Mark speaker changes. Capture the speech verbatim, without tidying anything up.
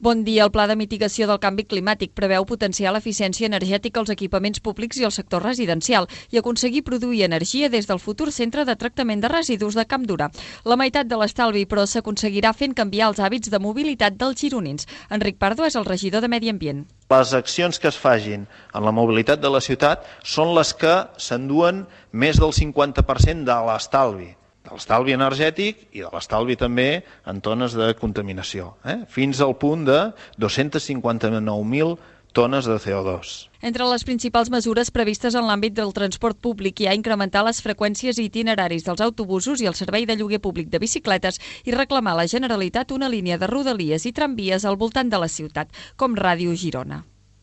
Speaker 1: Bon dia. El Pla de Mitigació del Canvi Climàtic preveu potenciar l'eficiència energètica als equipaments públics i al sector residencial i aconseguir produir energia des del futur centre de tractament de residus de Campdura. La meitat de l'estalvi, però, s'aconseguirà fent canviar els hàbits de mobilitat dels gironins. Enric Pardo és el regidor de Medi Ambient.
Speaker 2: Les accions que es facin en la mobilitat de la ciutat són les que s'enduen més del cinquanta per cent de l'estalvi. de l'estalvi energètic i de l'estalvi també en tones de contaminació, eh? fins al punt de dos-cents cinquanta-nou mil tones de C O dos.
Speaker 1: Entre les principals mesures previstes en l'àmbit del transport públic hi ha incrementar les freqüències i itineraris dels autobusos i el servei de lloguer públic de bicicletes i reclamar a la Generalitat una línia de rodalies i tramvies al voltant de la ciutat, com Ràdio Girona.